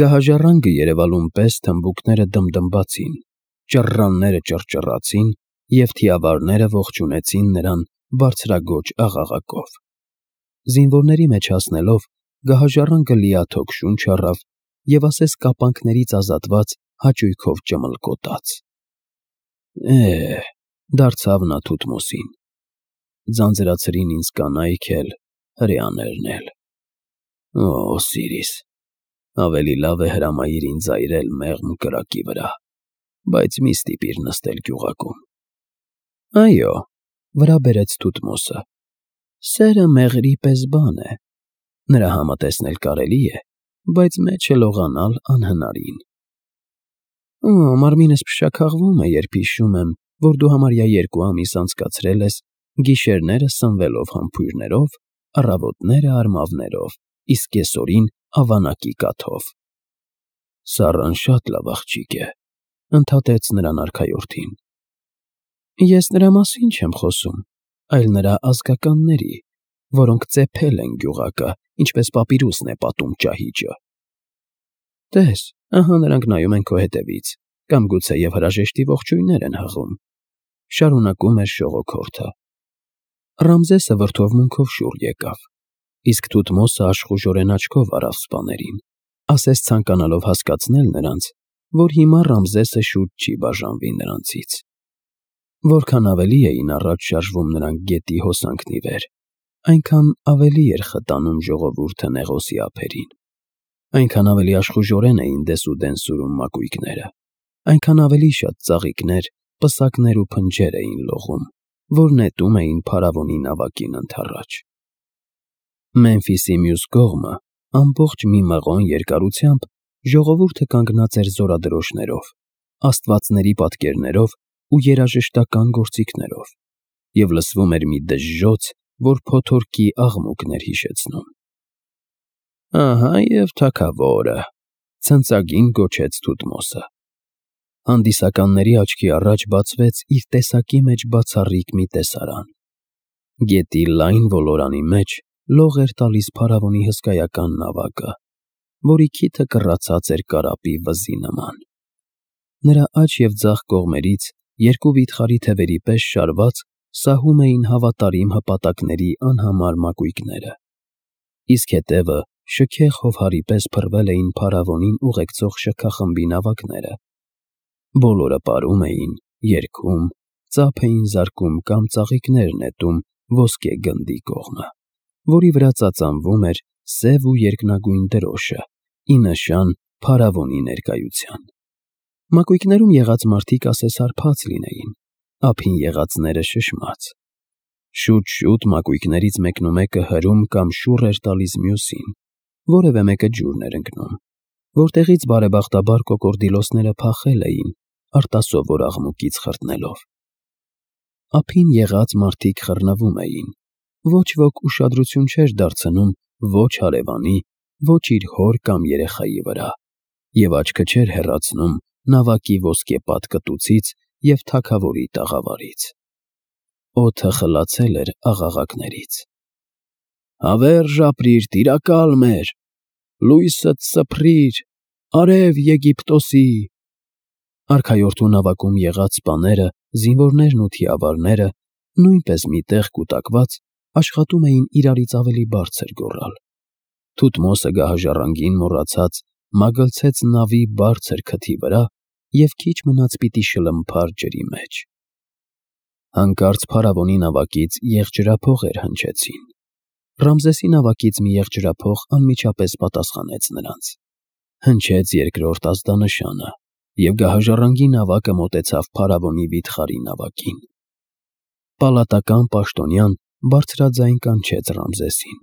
Գահաժառանգը երևալուն պես թմբուկները դմդմացին, ճռռանները ճռճռացին և թիավարները ողջունեցին նրան բարձրաձոչ աղաղակով։ Զինվորների մեջ հասնելով, գահաժառանգը լիաթոք շունչ առավ և ասես կապանքներից ազատված հաճույքով ճմլկոտաց. դարձավ նա Թութմոսին, ձանձրացրին ինձ կանայք էլ, հրեաներն էլ։ Օսիրիս, ավելի լավ է հրամայիր ինձ այրել մեղմ կրակի վրա, բայց մի ստիպիր նստել գյուղակում։ Այո, վրա բերեց Թութմոսը, սերը մեղրի պես բան է, նրա համատեսնել կարելի է, բայց մեջը լողանալ անհնարին։ Մարմինս փշաքաղվում է, երբ հիշում եմ, որ դու համարյա 2 ամիս անցկացրել ես գիշերները սնվելով համբույրներով, առավոտները արմավներով, իսկ կեսօրին ավանակի կաթով։ Սառան շատ լավ աղջիկ է, ընդհատեց նրան արքայորդին։ Ես նրա մասին չեմ խոսում, այլ նրա ազգականների, որոնք ծեփել են գյուղակը, ինչպես պապիրուսն է պատում ճահիճը։ Տես, ահա նրանք նայում են քո հետևից, կամ գուցեև հրաժեշտի ողջույններ են հղում, շարունակում էր շողոքորթը։ Ռամզեսը վրդովմունքով շուռ եկավ, իսկ Թութմոսը աշխուժորեն աչքով առավ սպաներին, ասես ցանկանալով հասկացնել նրանց, որ հիմա Ռամզեսը շուտ չի բաժանվի նրանցից։ Որքան ավելի էին առաջ շարժվում նրանք գետի հոսանքն ի վեր, այնքան ավելի էր խտանում ժողովուրդը Նեղոսի ափերին, այնքան ավելի աշխուժորեն էին դեսուդեն սուրում մակույկները, այնքան ավելի շատ ծաղիկներ, պսակներ ու փնջեր էին լողում, որ նետում էին փարավոնի նավակին ընդառաջ։ Մեմֆիսի մյուս կողմը, ամբողջ մի մղոն երկարությամբ, ժողովուրդը կանգնած էր զորադրոշներով, աստվածների պատկերներով ու երաժշտական գործիքներով, և լսվում էր մի դժժոց, որ փոթորկի աղմուկն էր հիշեցնում։ Ահա և թագավորը, ցնծագին գոչեց Թութմոսը։ Հանդիսականների աչքի առաջ բացվեց իր տեսակի մեջ բացառիկ մի տեսարան։ Գետի լայն ոլորանի մեջ լող էր տալիս փարավոնի հսկայական նավակը, որի քիթը կռացած էր կարապի վզի նման։ Նրա աջ և ձախ կողմերից 2 վիթխարի թևերի պես շարված սահում էին հավատարիմ հպատակների անհամար մակույկները, իսկ հետևը շքեղ հովհարի պես փռվել էին փարավոնին ուղեկցող շքախմբի նավակները։ Բոլորը պարում էին, երգում, ծափ էին զարկում կամ ծաղիկներ նետում ոսկե գնդի կողմը, որի վրա ծածանվում էր սև ու երկնագույն դրոշը, ի նշան փարավոնի ներկայության։ Մակույկներում եղած մարդիկ ասես հարբած լինեին, ափին եղածները շշմած։ Շուտ-շուտ մակույկներից մեկնումեկը հրում կամ շուռ էր տալիս մյուսին, որևէ մեկը ջուրն էր ընկնում, որտեղից բարեբախտաբար կոկորդիլոսները փախել էին, արտասովոր աղմուկից խրտնելով։ Ափին եղած մարդիկ խռնվում էին, ոչ ոք ուշադրություն չէր դարձնում ոչ հարևանի, ոչ իր հոր կամ երեխայի վրա, և աչքը չէր հեռացնում նավակի ոսկեպատ կտուցից և թագավորի տաղավարից։ Օդը խլացել էր աղաղակներից։ Հավերժ ապրիր, տիրակալ մեր, լույսդ սփռիր, արև Եգիպտոսի։ Արքայորդու նավակում եղած սպաները, զինվորներն ու թիավարները, նույնպես մի տեղ կուտակված, աշխատում էին իրարից ավելի բարձր գոռալ։ Թութմոսը գահաժառանգին մոռացած մագլցեց նավի բարձր քթի վրա և քիչ մնաց պիտի շլմփար ջրի մեջ։ Հանկարծ փարավոնի նավակից եղջրափողեր հնչեցին։ Ռամզեսի նավակից մի եղջրափող անմիջապես պատասխանեց նրանց։ Հնչեց երկրորդ ազդանշանը, և գահաժառանգի նավակը մոտեցավ փարավոնի վիթխարի նավակին։ Պալատական պաշտոնյան բարձրաձայն կանչեց Ռամզեսին։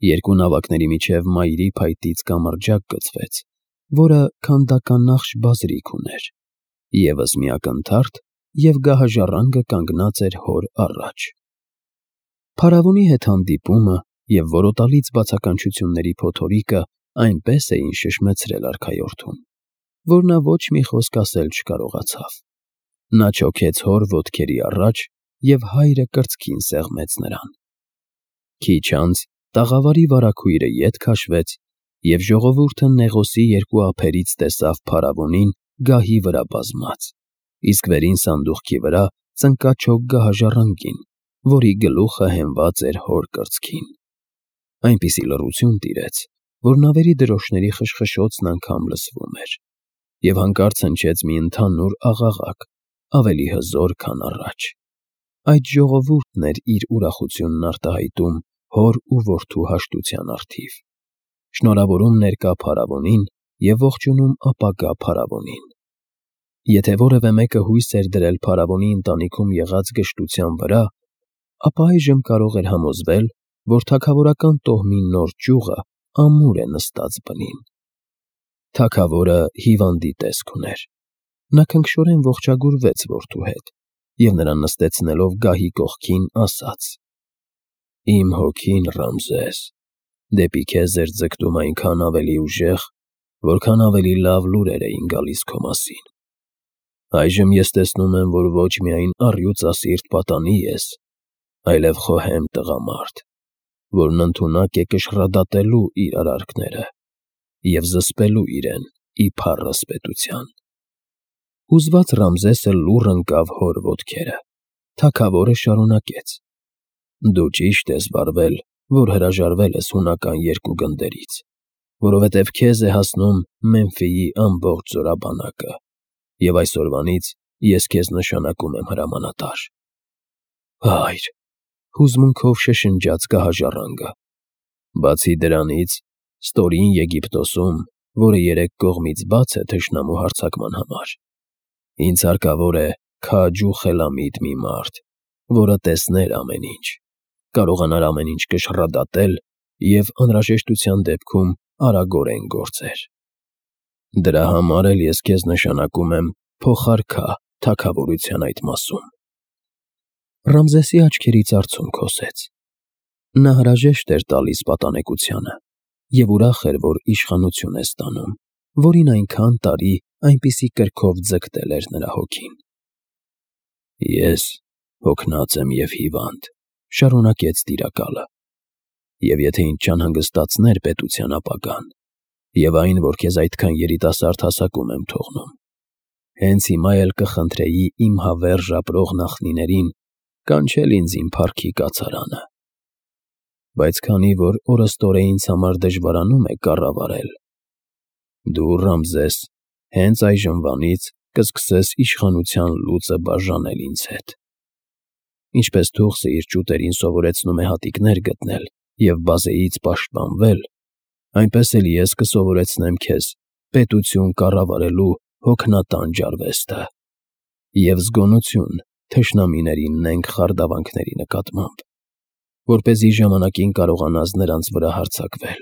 2 նավակների միջև մայրի փայտից կամրջակ գծվեց, որը քանդականախշ բազրիք ուներ, ևս մի ակնթարթ, և գահաժառանգը կանգնած էր հոր առաջ։ Փարավոնի հետ հանդիպումը և որոտալից բացականչությունների փոթորիկը այնպես էին շշմեցրել արքայորդուն, որ նա ոչ մի խոսք ասել չկարողացավ։ Նա չոքեց հոր ոտքերի առաջ, և հայրը կրծքին սեղմեց նրան։ Քիչ անց տաղավարի վարագույրը ետ քաշվեց, Եվ ժողովուրդը Նեղոսի երկու ափերից տեսավ փարավոնին գահի վրա բազմած, իսկ վերին սանդուղքի վրա ծնկաչոք գահաժառանգին, որի գլուխը հենված էր հոր կրծքին։ Այնպիսի լռություն տիրեց, որ նավերի դրոշների խշխշոցն անգամ լսվում էր, և հանկարծ հնչեց մի ընդհանուր աղաղակ, ավելի հզոր, քան առաջ։ Այդ ժողովուրդն էր իր ուրախությունն արտահայտում հոր ու որդու հաշտության առթիվ, շնորհավորում ներկա փարավոնին և ողջունում ապագա փարավոնին։ Եթե որևէ մեկը հույս էր դրել փարավոնի ընտանիքում եղած գժտության վրա, ապա այժմ կարող էր համոզվել, որ թագավորական տոհմի նոր ճյուղը ամուր է նստած բնին։ Թագավորը հիվանդի տեսք ուներ։ Նա քնքշորեն ողջագուրվեց որդու հետ և նրան նստեցնելով գահի կողքին, ասաց. «Իմ հոգին, Ռամզես, դեպի քեզ էր ձգտում այնքան ավելի ուժեղ, որքան ավելի լավ լուրեր էին գալիս քո մասին։ Այժմ ես տեսնում եմ, որ ոչ միայն առյուծասիրտ պատանի ես, այլև խոհեմ տղամարդ, որն ընդունակ է կշռադատելու իր արարքները և զսպելու իրեն ի փառս պետության»։ Հուզված Ռամզեսը լուռ ընկավ հոր ոտքերը։ Թագավորը շարունակեց. «Դու ճիշտ ես վարվել, որ հրաժարվել ես հունական երկու գնդերից, որովհետև քեզ է հասնում Մեմֆիի ամբողջ զորաբանակը, և այսօրվանից ես քեզ նշանակում եմ հրամանատար»։ «Հայր», հուզմունքով շշնջաց գահաժառանգը, «բացի դրանից, ստորին Եգիպտոսում, որը երեք կողմից բաց է թշնամու հարձակման համար, ինձ հարկավոր է քաջ ու խելամիտ մի մարդ, որը տեսներ ամեն ինչ, կարողանար ամեն ինչ կշռադատել և անհրաժեշտության դեպքում արագորեն գործեր։ Դրա համար էլ ես քեզ նշանակում եմ փոխարքա թագավորության այդ մասում»։ Ռամզեսի աչքերից արցունք հոսեց։ Նա հրաժեշտ էր տալիս պատանեկությանը և ուրախ էր, որ իշխանություն է ստանում, որին այնքան տարի այնպիսի կրքով ձգտել էր նրա հոգին։ «Ես հոգնած եմ և հիվանդ», շարունակեց տիրակալը, «և եթե ինձ չանհանգստացներ պետության ապագան և այն, որ քեզ այդքան երիտասարդ հասակում եմ թողնում, հենց հիմա էլ կխնդրեի իմ հավերժ ապրող նախնիներին կանչել ինձ իմ փառքի կացարանը։ Բայց քանի որ օրըստօրե ինձ համար դժվարանում է կառավարել, դու, Ռամզես, հենց այժմվանից կսկսես իշխանության լուծը բաժանել ինձ հետ։ Ինչպես թուղթը իր ճուտերին սովորեցնում է հատիկներ գտնել և բազեից պաշտպանվել, այնպես էլ ես կսովորեցնեմ քեզ պետություն կառավարելու հոգնատանջ արվեստը և զգոնություն թշնամիների նենգ խարդավանքների նկատմամբ, որպեսզի ժամանակին կարողանաս նրանց վրա հարձակվել,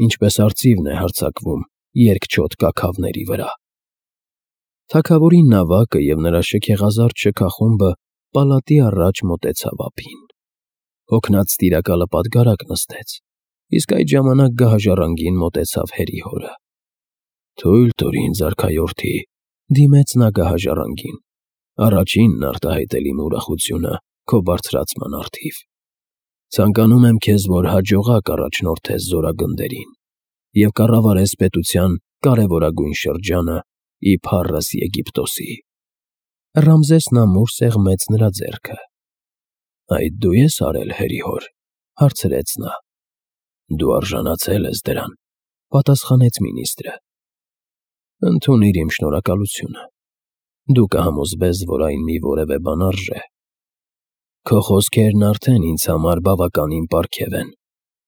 ինչպես արծիվն է հարձակվում երկչոտ կաքավների վրա»։ Թագավորի նավակը և նրա շքեղազարդ շքախումբը պալատի առաջ մոտեցավ ափին։ Հոգնած տիրակալը պատգարակ նստեց, իսկ այդ ժամանակ գահաժառանգին մոտեցավ հերիհորը։ «Թույլ տուր ինձ, արքայորդի», դիմեց նա գահաժառանգին, «առաջինն արտահայտել իմ ուրախությունը քո բարձրացման առթիվ։ Ցանկանում եմ քեզ, որ հաջողակ առաջնորդես զորագնդերին և կառավարես պետության կարևորագույն շրջանը ի փառս Եգիպտոսի»։ Ռամզեսն ամուր սեղմեց նրա ձեռքը։ «Այդ դու ես արել, հերիհոր», հարցրեց նա։ «Դու արժանացել ես դրան», պատասխանեց մինիստրը։ «Ընդունիր իմ շնորհակալությունը։ Դու կհամոզվես, որ այն մի որևէ բան արժե»։ «Քո խոսքերն արդեն ինձ համար բավականին պարգև են»,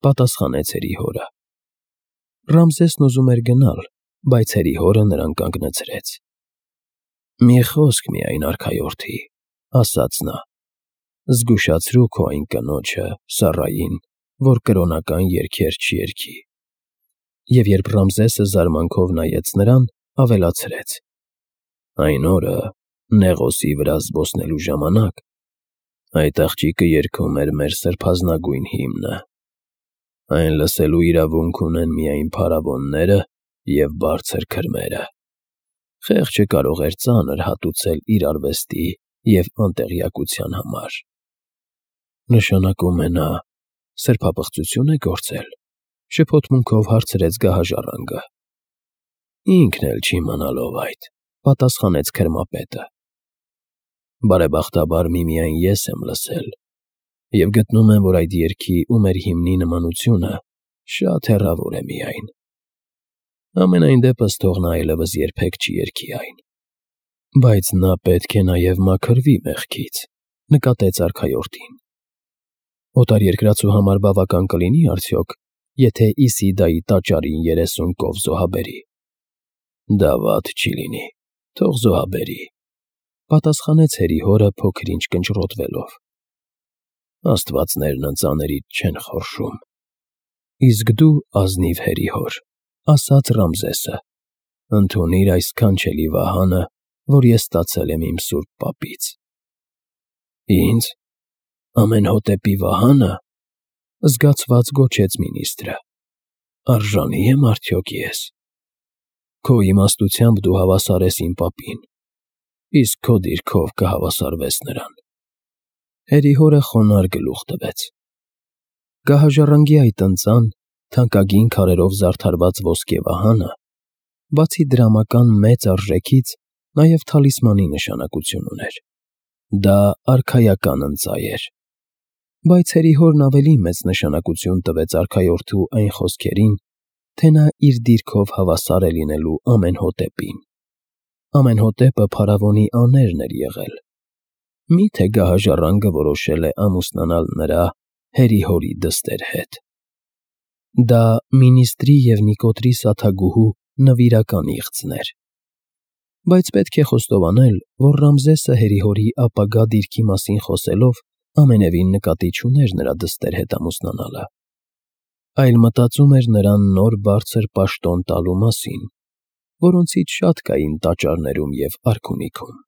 պատասխանեց հերիհորը։ Ռամզեսն ուզում էր գնալ, բայց հերիհորը նրան կանգնեցրեց։ «Մի խոսք միայն, արքայորդի», ասաց նա, «զգուշացրու քո այն կնոջը՝ Սառային, որ կրոնական երգեր չերգի»։ Եվ երբ Ռամզեսը զարմանքով նայեց նրան, ավելացրեց. «Այն օրը, Նեղոսի վրա զբոսնելու ժամանակ, այդ աղջիկը երգում էր մեր սրբազնագույն հիմնը։ Այն լսելու իրավունք ունեն միայն փարավոնները և բարձր քրմերը։ Խեղճը կարող էր ծանր հատուցել իր արվեստի և անտեղյակության համար»։ «Նշանակում է նա սրբապղծություն է գործել», Շփոթմունքով հարցրեց գահաժառանգը։ Ինքն էլ չիմանալով այդ, պատասխանեց քրմապետը։ Բարեբախտաբար միմիայն ես եմ լսել, և գտնում եմ, որ այդ երգի ու մեր հիմնի նմանությունը շատ հեռավոր է միայն։ Համենայն դեպս թող նա այլևս երբեք չի երգի այն։ Բայց նա պետք է նաև մաքրվի մեղքից, նկատեց արքայորդին։ Օտարերկրացու համար բավական կլինի արդյոք, եթե Իսիդայի տաճարին 30 կով զոհաբերի։ Դա վատ չի լինի, թող զոհաբերի, պատասխանեց հերիհորը փոքր-ինչ կնճռոտվելով։ Աստվածներն ընծաներիդ չեն խորշում։ Իսկ դու, ազնիվ հերիհոր, ասաց Ռամզեսը, ընդունիր այս սքանչելի վահանը, որ ես ստացել եմ իմ սուրբ պապից։ Ինձ, Ամենհոտեպի վահանը, զգացված գոչեց մինիստրը, արժանի եմ արդյոք ես։ Քո իմաստությամբ դու հավասար ես իմ պապին, իսկ քո դիրքով կհավասարվես նրան։ Հերիհորը խոնարհ գլուխ տվեց։ Գահաժառանգի այդ ընծան, թանկագին քարերով զարդարված ոսկե վահանը, բացի դրամական մեծ արժեքից, նաև թալիսմանի նշանակություն ուներ։ Դա արքայական ընծա էր։ Բայց հերիհորն ավելի մեծ նշանակություն տվեց արքայորդու այն խոսքերին, թե նա իր դիրքով հավասար է լինելու Ամենհոտեպին։ Ամենհոտեպը փարավոնի աներն էր եղել։ Մի՞թե գահաժառանգը որոշել է ամուսնանալ նրա՝ հերիհորի դստեր հետ։ Դա մինիստրի և Նիկոտրի սաթագուհու նվիրական իղձն էր։ Բայց պետք է խոստովանել, որ Ռամզեսը հերիհորի ապագա դիրքի մասին խոսելով ամենևին նկատի չուներ նրա դստեր հետ ամուսնանալը, այլ մտածում էր նրան նոր բարձր պաշտոն տալու մասին, որոնցից շատ կային տաճարներում և արքունիքում։